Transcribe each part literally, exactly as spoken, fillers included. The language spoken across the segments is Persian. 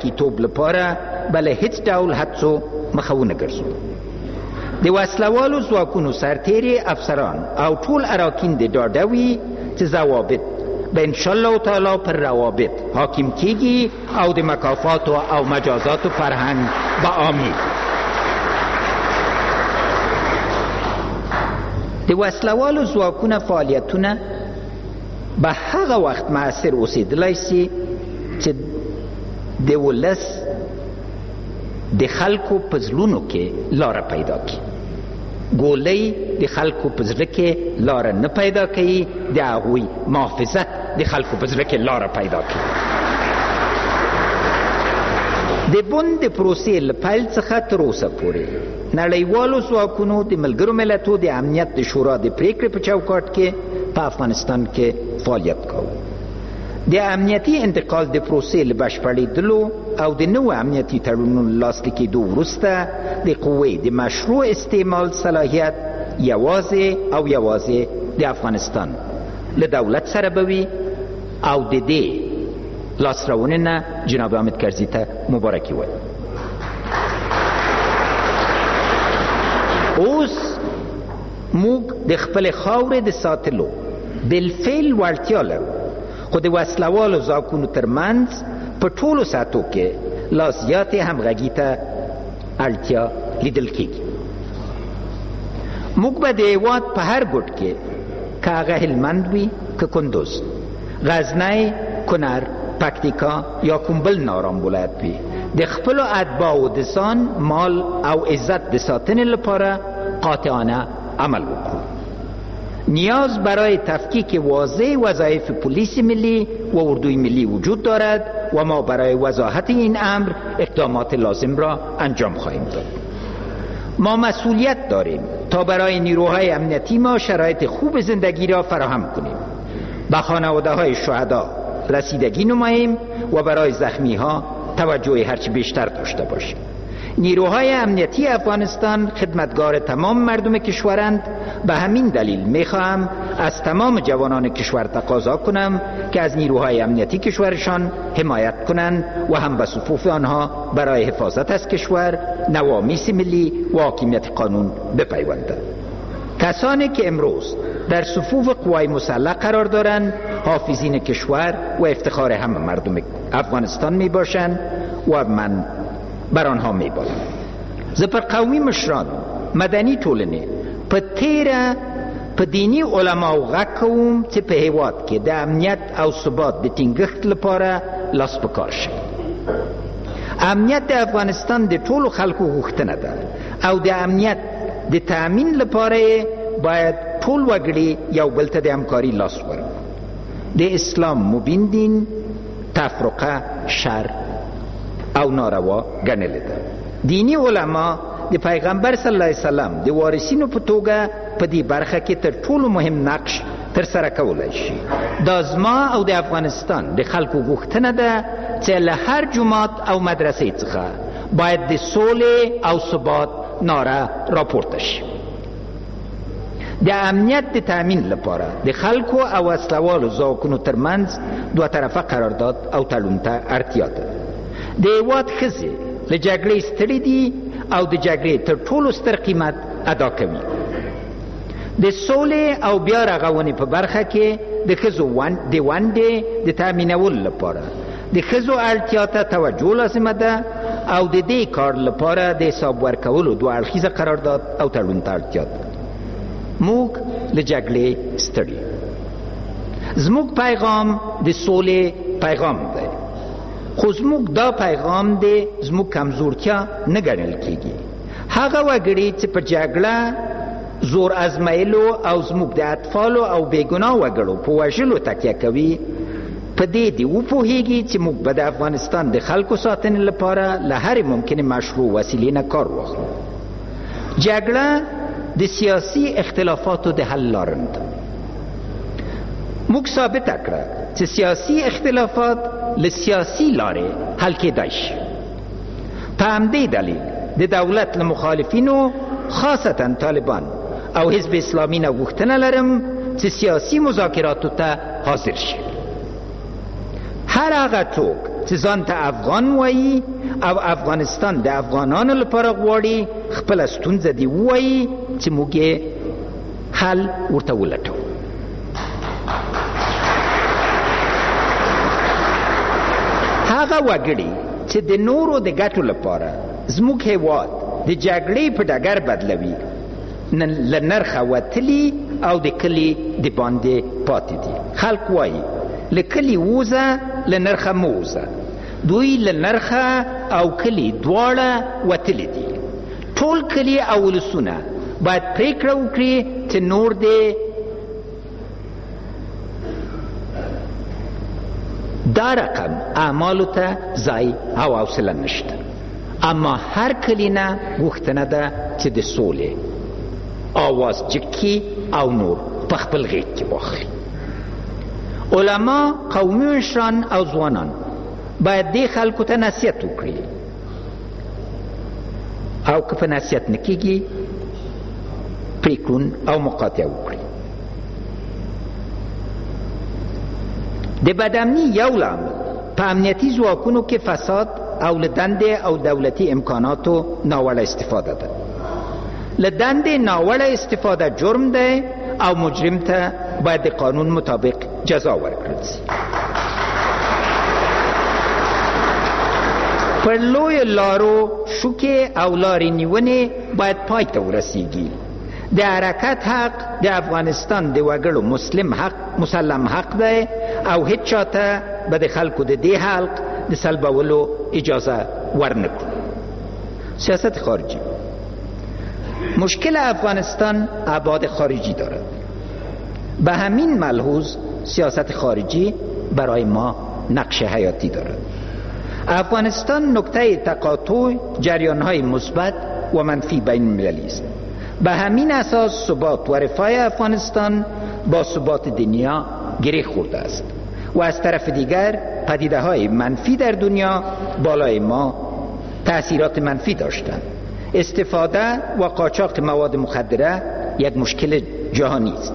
مسلکي توب لپاره به له هیڅ ډول هڅو مخه ونه ګرځو. د وسلوالو ځواکونو سرتیري، افسران او ټول اراکین دې ډاډه وي چې ضوابط به انشاءالله تعالی پر روابط حاکم کیږي او د مکافاتو او مجازاتو فرهنګ به عامېږي. د وسلوالو ځواکونو فعالیتونه به هغه وخت مؤثر اوسېدلی سي چې د ولس د خلکو په زړونو کې لاره پیدا کړي. ګولۍ د خلکو په زړه کې لاره نه پیدا کوي، د هغوی محافظت د خلکو په زړه کې لاره پیدا کوي. د بن د پروسې له پیل څخه تر اوسه پورې نړیوالو ځواکونو د ملګرو ملتو د امنیت د شورا د پریکړې په چوکاټ کې په افغانستان کې فعالیت کاوه. د امنیتي انتقال د پروسې له بشپړېدلو او د نوو امنیتي تړونونو لاسلیکېدو وروسته د قوې د مشروع استعمال صلاحیت یوازې او یوازې د افغانستان له دولت سره به وي او د دې لاسته نه جناب حامد کرزي ته مبارکي وایي. اوس موږ د خپلې خاورې د ساتلو بالفعل وړتیا لرو، خو د وسلوالو ځواکونو ترمنځ په ټولو سطحو کې لا زیاتې همغږي ته اړتیا لیدل کیږي. موږ به د هیواد په هر ګوټ کې، که هغه هلمند وي که کندوز، غزنی، کنر، پکتیکا یا کوم بل نارام ولایت وي، د خپلو اتباعو د ځان، مال او عزت د ساتنې لپاره قاطعانه عمل وکړو. نیاز برای تفکیک واضح وظایف پلیس ملی و اردوی ملی وجود دارد و ما برای وضاحت این امر اقدامات لازم را انجام خواهیم داد. ما مسئولیت داریم تا برای نیروهای امنیتی ما شرایط خوب زندگی را فراهم کنیم، به خانواده های شهدا رسیدگی نماییم و برای زخمی ها توجه هرچه بیشتر داشته باشیم. نیروهای امنیتی افغانستان خدمتگار تمام مردم کشورند. به همین دلیل میخواهم از تمام جوانان کشور تقاضا کنم که از نیروهای امنیتی کشورشان حمایت کنند و هم به صفوف آنها برای حفاظت از کشور، نوامیس ملی و حاکمیت قانون بپیوندند. کسانی که امروز در صفوف قوای مسلح قرار دارند حافظین کشور و افتخار همه مردم افغانستان می باشند و من بر آنها می بالم. زه پر قومي مشرانو، مدني ټولنې، په تیره په دیني علماو غږ کوم چې په هیواد کې د امنیت او ثبات د ټینګښت لپاره لاس په کار شي. امنیت د افغانستان د ټولو خلکو غوښتنه ده او د امنیت د تأمین لپاره باید ټول وګړي یو بل ته د همکاري لاس ورکړو. د اسلام مبین دین تفرقه، شر او ناروا ګڼلې ده. دیني علما د پیغمبر صلی الله علیه وسلم د وارثینو په توګه په دې برخه کې تر ټولو مهم نقش تر سره کولی شي. دا زما او د افغانستان د خلکو غوښتنه ده چې له هر جومات او مدرسې څخه باید د سولې او ثبات ناره راپورته شي. د امنیت د تأمین لپاره د خلکو او وسلهوالو ځواکونو ترمنځ دوه طرفه قرارداد او تړون ته اړتیا ده. د هیواد ښځې له جګړې ستړي دي او د جګړې تر ټولو ستر قیمت ادا کوي. د سولې او بیا رغونې په برخه کې د ښځو د ونډې د تأمینولو لپاره د ښځو اړتیا ته توجه لازمه ده او د دې کار لپاره د حساب ورکولو دوه اړخیزه قرارداد او تړون ته اړتیا ده. موږ له جګړې ستړي. زموږ پیغام د سولې پیغام دی، خو زموږ دا پیغام دی زموږ کمزورتیا نه ګڼل کیږي. هغه وګړي چې په جګړه، زور ازمایلو او زموږ د اطفالو او بېګناه وګړو په وژلو تکیه کوي، په دې دې وپوهیږي چې موږ به د افغانستان د خلکو ساتنې لپاره له هرې ممکنې مشروع وسیلې نه کار واخلو. جګړه د سیاسي اختلافاتو د حل لاره نه ده. موږ ثابته کړه چې سیاسي اختلافات له سیاسي لارې حل کېدای شي. په همدې دلیل د دولت له مخالفینو، خاصتا طالبان او حزب اسلامي نه غوښتنه لرم چې سیاسي مذاکراتو ته حاضر شي. هر هغه څوک چې ځان ته افغان وایي او افغانستان د افغانانو لپاره غواړي خپله ستونزه دې ووایي چې موږ یې حل ورته ولټوو. هغه وګړي چې د نورو د ګټو لپاره زموږ هیواد د جګړې په ډګر بدلوي له نرخه وتلي او د کلي د باندې پاتې دي. خلک وایي له کلي ووځه له نرخه مه ووځه. دوی له نرخه او کلي دواړه وتلي دي. ټول کلي او ولسونه باید پرېکړه وکړي چې نور دې دا رقم اعمالو ته ځای او حوصله نشته. اما هر کلي نه غوښتنه ده چې د سولې آواز جکی او نور په خپل غېږ کې واخلي. علما، قومي مشران او ځوانان باید دې خلکو ته نصیحت وکړي او که په نصیحت نه کېږي پرېکړون او مقاطعه وکړي. د بدامني یو لامل په امنیتي ځواکونو کې فساد او له دندې او دولتي امکاناتو ناوړه استفاده ده. له دندې ناوړه استفاده جرم دی او مجرم ته باید د قانون مطابق جزا ورکړل شي. پر لویو لارو شوکې او لارې نیونې باید پای ته ورسیږي. د حرکت حق د افغانستان د وګړو مسلم حق مسلم حق دی او هیڅ چاته به د خلکو د دې حق د سلبولو اجازه ورنکړو. سیاست خارجی: مشکل افغانستان ابعاد خارجی دارد. به همین ملحوظ سیاست خارجی برای ما نقش حیاتی دارد. افغانستان نقطه تقاطع جریان‌های مثبت و منفی بین المللی است. به همین اساس ثبات و رفاه افغانستان با ثبات دنیا گره خورده است و از طرف دیگر پدیده‌های منفی در دنیا بالای ما تأثیرات منفی داشتند. استفاده و قاچاق مواد مخدره یک مشکل جهانی است.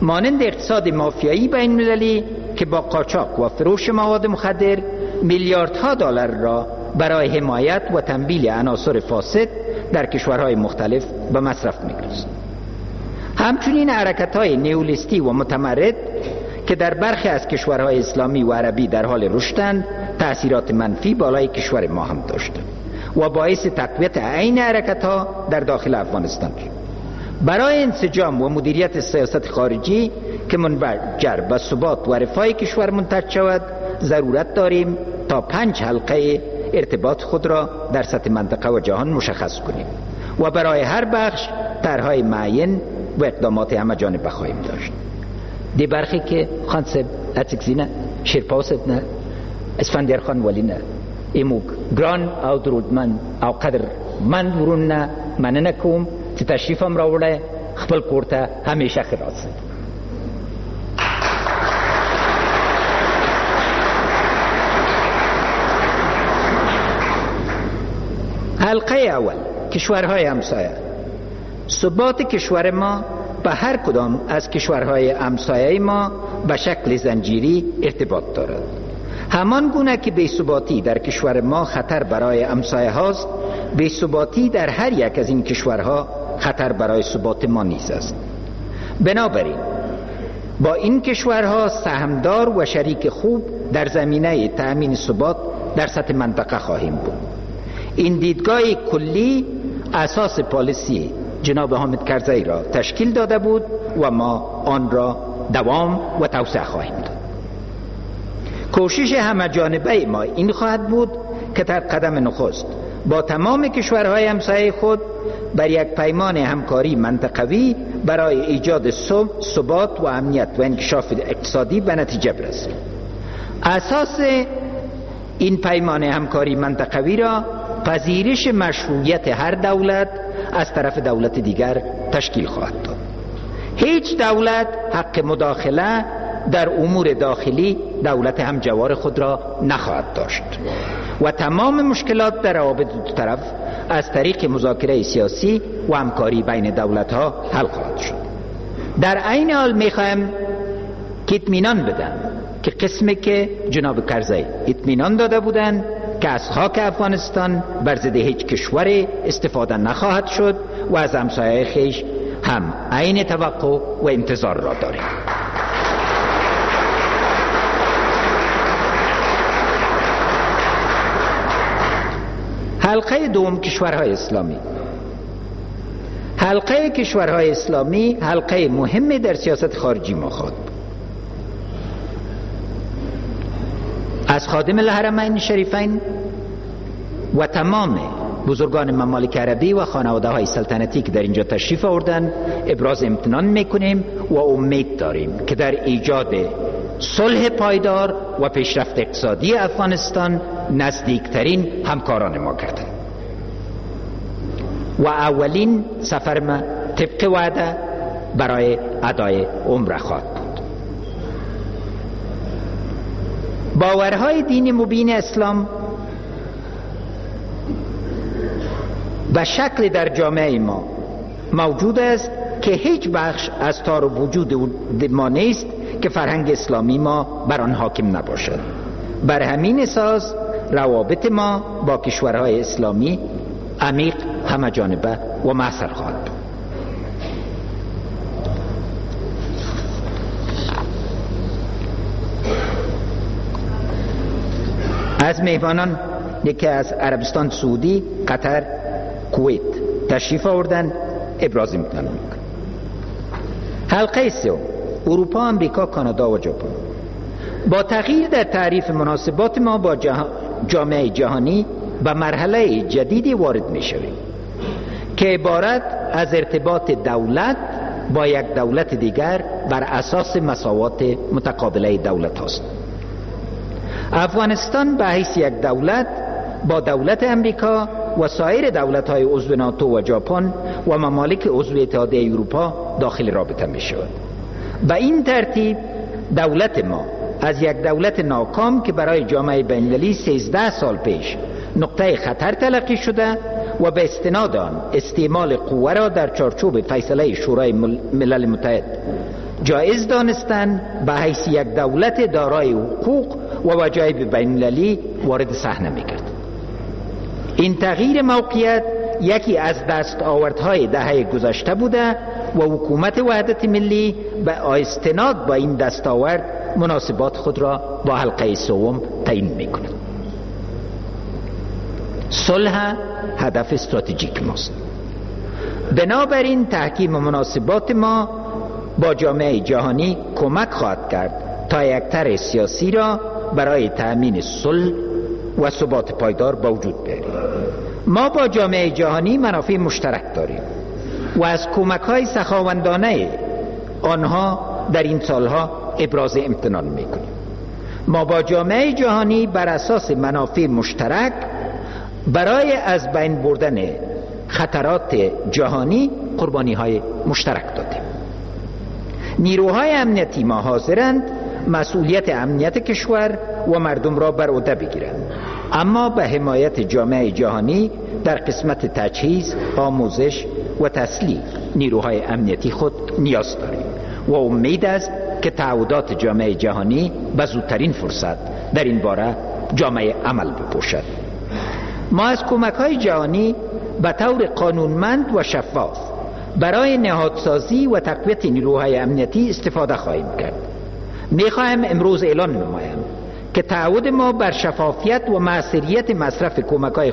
مانند اقتصاد مافیایی بین المللی که با قاچاق و فروش مواد مخدر میلیاردها دلار را برای حمایت و تمویل عناصر فاسد در کشورهای مختلف به مصرف می‌رساند. همچنین حرکت‌های نیولیستی و متمرد که در برخی از کشورهای اسلامی و عربی در حال رشدند تأثیرات منفی بالای کشور ما هم داشتند و باعث تقویت عین حرکت‌ها در داخل افغانستان شد. برای انسجام و مدیریت سیاست خارجی که منجر به ثبات و رفاه کشور منتج شود ضرورت داریم تا پنج حلقه ارتباط خود را در سطح منطقه و جهان مشخص کنیم و برای هر بخش طرح‌های معین و اقدامات همه جانبه خواهیم داشت. دی برخی که خان صاحب اڅکزي نه، شیرپاو صاحب نه، اسفندیار خان ولی نه، ایموږ ګران او درودمند او قدرمند ورون نه مننه کوم چې تشریف هم راوړی. خپل کور ته همیشه ښه راسئ. حلقه اول: کشورهای همسایه. ثبات کشور ما به هر کدام از کشورهای همسایه ما به شکل زنجیری ارتباط دارد. همان گونه که بی‌ثباتی در کشور ما خطر برای همسایه هاست، بی‌ثباتی در هر یک از این کشورها خطر برای ثبات ما نیز است. بنابراین با این کشورها سهمدار و شریک خوب در زمینه تأمین ثبات در سطح منطقه خواهیم بود. این دیدگاه کلی اساس پالیسی جناب حامد کرزی را تشکیل داده بود و ما آن را دوام و توسعه خواهیم داد. کوشش همه جانبه ما این خواهد بود که در قدم نخست با تمام کشورهای همسایه خود بر یک پیمان همکاری منطقوی برای ایجاد ثبات و امنیت و انکشاف اقتصادی به نتیجه برسیم. اساس این پیمان همکاری منطقوی را پذیرش مشروعیت هر دولت از طرف دولت دیگر تشکیل خواهد داد. هیچ دولت حق مداخله در امور داخلی دولت همجوار خود را نخواهد داشت و تمام مشکلات در روابط دو طرف از طریق مذاکره سیاسی و همکاری بین دولت‌ها حل خواهد شد. در عین حال می‌خواهم که اطمینان بدم که قسمی که جناب کرزی اطمینان داده بودند که از خاک افغانستان بر ضد هیچ کشور استفاده نخواهد شد و از همسایه خویش هم عین توقع و انتظار را داریم. حلقه دوم کشورهای اسلامی. حلقه کشورهای اسلامی حلقه مهمی در سیاست خارجی ما خواهد بود. از خادم الحرمین شریفین و تمام بزرگان ممالک عربی و خانواده های سلطنتی که در اینجا تشریف آوردن ابراز امتنان میکنیم و امید داریم که در ایجاد صلح پایدار و پیشرفت اقتصادی افغانستان نزدیکترین همکاران ما کردند. و اولین سفر ما طبق وعده برای ادای عمره خواهد بود. باورهای دین مبین اسلام به شکل در جامعه ما موجود است که هیچ بخش از تار وجود ما نیست که فرهنگ اسلامی ما بر آن حاکم نباشد. بر همین اساس روابط ما با کشورهای اسلامی عمیق، همه جانبه و موثر خواهد بود. از میهمانان یکی از عربستان سعودی، قطر، کویت تشریف آوردن، ابراز امتنان میکنم. حلقه سوم اروپا، امریکا، کانادا و ژاپن. با تغییر در تعریف مناسبات ما با جه... جامعه جهانی به مرحله جدیدی وارد میشویم که عبارت از ارتباط دولت با یک دولت دیگر بر اساس مساوات متقابله دولت هاست. افغانستان به حیث یک دولت با دولت امریکا و سایر دولت‌های عضو ناتو و ژاپن و ممالک عضو اتحادیه اروپا داخل رابطه می شود. به این ترتیب دولت ما از یک دولت ناکام که برای جامعه بین‌المللی سیزده سال پیش نقطه خطر تلقی شده و به استناد آن استعمال قوه را در چارچوب فیصله شورای ملل متحد جایز دانستن، به حیث یک دولت دارای حقوق و وجایب بین‌المللی وارد صحنه می‌کرد. این تغییر موقعیت یکی از دستاوردهای دهه گذشته بوده و حکومت وحدت ملی به استناد با این دستاورد مناسبات خود را با حلقه سوم تعیین می‌کند. صلح هدف استراتژیک ماست. بنابراین تحکیم مناسبات ما با جامعه جهانی کمک خواهد کرد تا یک طرح سیاسی را برای تأمین صلح و ثبات پایدار با وجود بیاریم. ما با جامعه جهانی منافع مشترک داریم و از کمک‌های سخاوندانه آنها در این سالها ابراز امتنان می‌کنیم. ما با جامعه جهانی بر اساس منافع مشترک برای از بین بردن خطرات جهانی قربانی‌های مشترک دادیم. نیروهای امنیتی ما حاضرند مسئولیت امنیت کشور و مردم را بر عهده بگیرند، اما به حمایت جامعه جهانی در قسمت تجهیز، آموزش و تسلیح نیروهای امنیتی خود نیاز داریم و امید است که تعهدات جامعه جهانی به زودترین فرصت در این باره جامعه عمل بپوشد. ما از کمک‌های جهانی به طور قانونمند و شفاف برای نهادسازی و تقویت نیروهای امنیتی استفاده خواهیم کرد. می‌خواهم امروز اعلان نمایم که تعهد ما بر شفافیت و موثریت مصرف کمک‌های